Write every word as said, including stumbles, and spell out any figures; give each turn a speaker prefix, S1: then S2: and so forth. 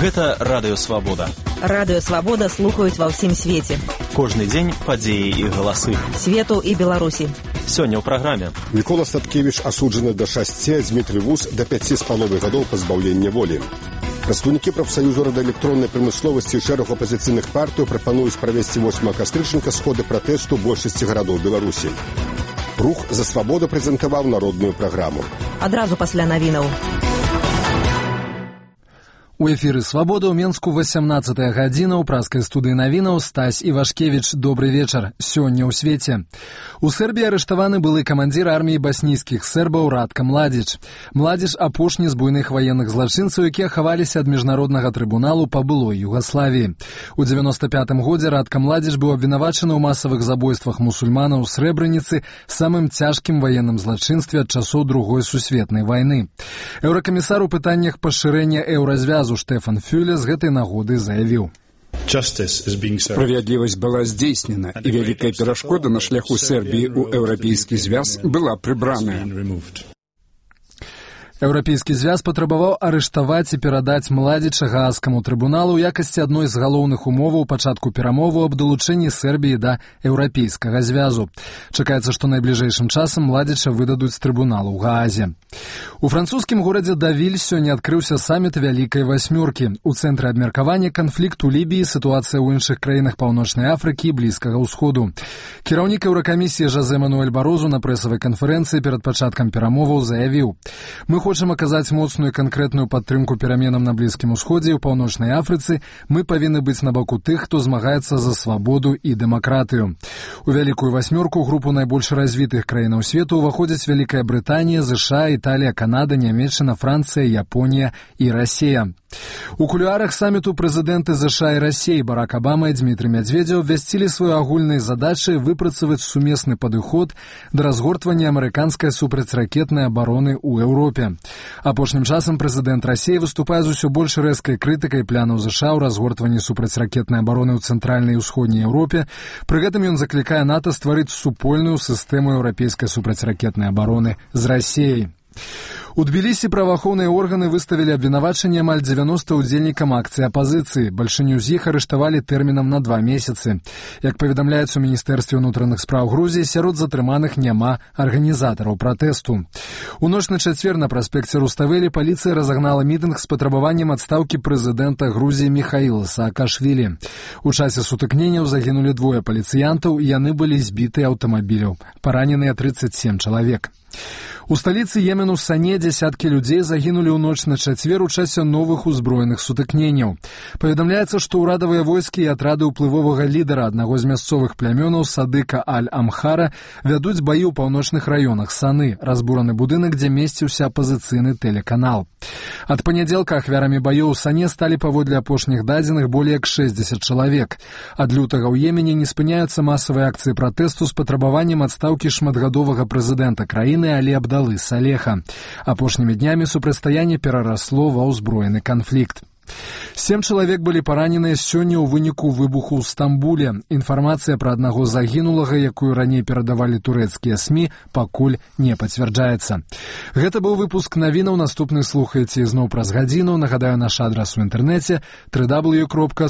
S1: Гэта Радыё Свабода.
S2: Радыё Свабода слухаюць ва ўсім свеце.
S1: Кожны дзень падзеі і галасы.
S2: Свету і Беларусі.
S1: Сёння ў праграме.
S3: Мікола Статкевіч асуджаны да шасці, Дмітрый Вус да пяці з паловай гадоў пазбаўлення волі. Прадстаўнікі прафсаюзу радыёэлектроннай прамысловасці і шэрагу апазіцыйных партый прапануюць правесці восьмага кастрычніка сходы пратэсту большасці гарадоў Беларусі. Рух за свабоду прэзентаваў народную праграму.
S2: Адразу пасля навінаў.
S4: У эфіры «Свабода» ў Менску васямнаццатая гадзіна ў праскай студыі навінаў Стась Івашкевіч. Добры вечар. Сёння ў свеце. У Сербіі арыштаваны былы камандзір арміі баснійскіх сербаў Ратка Младзіч. Младзіч апошні з буйных ваенных злачынцаў, якія хаваліся ад міжнароднага трыбуналу па былой Югаславіі. У дзевяноста пятым годзе Ратка Младзіч быў абвінавачаны ў масавых забойствах мусульманаў у Срэбраніцы, самым цяжкім ваенным злачынстве ад часоў Другой сусветнай вайны. Еўракамісар у пытаннях пашырэння еўразвязу Штефан Фюле з гэтай нагоды заявіў.
S5: Справядлівасць была здзейснена, і вялікая перашкода на шляху Сербіі ў еўрапейскі звяз была прыбраная.
S4: Еўрапейскі звяз патрабаваў арыштаваць і перадаць Младзіча Гаагскаму трыбуналу ў якасці адной з галоўных умоваў пачатку перамоваў аб далучэнні Сербіі да еўрапейскага звязу. Чакаецца, што найбліжэйшым часам Младзіча выдадуць з трыбуналу ў Гаазе. У французскім горадзе Давіль сёння адкрыўся саміт Вялікай Васьмёркі. У цэнтры абмеркавання канфлікт у Лібіі, сітуацыя ў іншых краінах Паўночнай Афрыкі і Блізкага ўсходу. Кіраўнік Еўракамісіі Жозе Мануэль Барозу на прэсавай канферэнцыі перад пачаткам перамоваў заявіў: «Мы хочам аказаць моцную і канкрэтную падтрымку пераменам на Блізкім усходзе і ў Паўночнай Афрыцы. Мы павінны быць на баку тых, хто змагаецца за свабоду і дэмакратыю». У Вялікую Васьмёрку, групу найбольш развітых краінаў свету, уваходзяць Вялікая Брытанія, ЗША, Італія, Канада, Нямецчына, Францыя, Японія і Расія. У кулуарах саміту прэзідэнты ЗША і Расіі Барак Абама і Дмітрый Медведзеў абвясцілі свае агульныя задачы выпрацаваць сумесны падыход да разгортвання амерыканскай супрацьракетнай абароны ў Еўропе. Апошнім часам прэзідэнт Расіі выступае з усё больш рэзкай крытыкай планаў ЗША ў разгортванні супрацьракетнай абароны ў цэнтральнай і ўсходняй Еўропе. Пры гэтым ён заклікае НАТО стварыць супольную сістэму еўрапейскай супрацьракетнай абароны з Расіяй. У Тбілісі праваахоўныя органы выставілі абвінавачанне амаль дзевяноста ўдзельнікам акцыі апазіцыі. Бальшыню з іх арыштавалі тэрмінам на два месяцы. Як паведамляецца ў Міністэрстве ўнутраных спраў Грузіі, сярод затрыманых няма арганізатараў пратэсту. У ноч на чацвер на праспекце Руставелі паліцыя разагнала мітынг з патрабаваннем адстаўкі прэзідэнта Грузіі Міхаіла Саакашвілі. У часе сутыкненняў загінулі двое паліцыянтаў, і яны былі збіты аўтамабіляў. Параненыя трыццаць сем чалавек. У сталіцы Йемену Сане дзясяткі людзей загінулі ў ноч на чацвер у часе новых узброеных сутыкненняў. Паведамляецца, што ўрадавыя войскі і атрады ўплывовага лідара аднаго з мясцовых плямёнаў Садыка Аль-Амхара вядуць баі ў паўночных раёнах Саны, разбураны будынак, дзе месціўся апазіцыйны тэлеканал. Ад панядзелка ахвярамі баёў у Сане сталі паводле апошніх дадзеных болей як шэсцьдзесят чалавек. Ад лютага ў Йемене не спыняюцца масавыя акцыі пратэсту з патрабаваннем адстаўкі шматгадовага прэзідэнта краіны Алі Абдалы Салеха. Апошнімі днямі супрацьстаянне перарасло ва ўзброены канфлікт. Сем чалавек былі параненыя сёння ў выніку выбуху ў Стамбуле. Інфармацыя пра аднаго загінулага, якую раней перадавалі турэцкія СМІ, пакуль не пацвярджаецца. Гэта быў выпуск навінаў. Наступны слухаеце ізноў праз гадзіну. Нагадаю, наш адрас у інтэрнэце дабл ю дабл ю дабл ю кропка